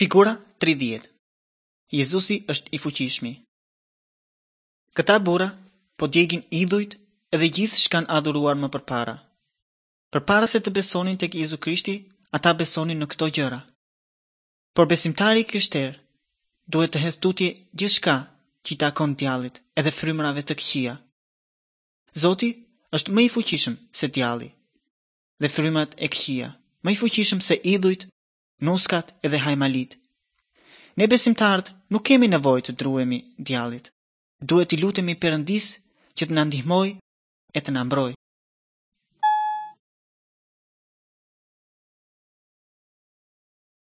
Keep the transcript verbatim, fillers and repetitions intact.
Figura tridhjetë. Jezusi është i fuqishmi. Këta burra po djegin idhujt edhe gjithë ç'kanë adhuruar më përpara. Përpara se të besonin tek Jezu Krishti, ata besonin në këto gjëra. Por besimtari i krishterë duhet të hedhë tutje gjithçka që i takon djallit edhe frymërave të këqija. Zoti është më i fuqishëm se djalli dhe frymërat e këqija, më i fuqishëm se idhujt, nuskat edhe hajmalit. Ne besimtarët nuk kemi nevojë të druhemi djallit. Duhet t'i lutemi Perëndisë që të na ndihmojë e të na mbrojë.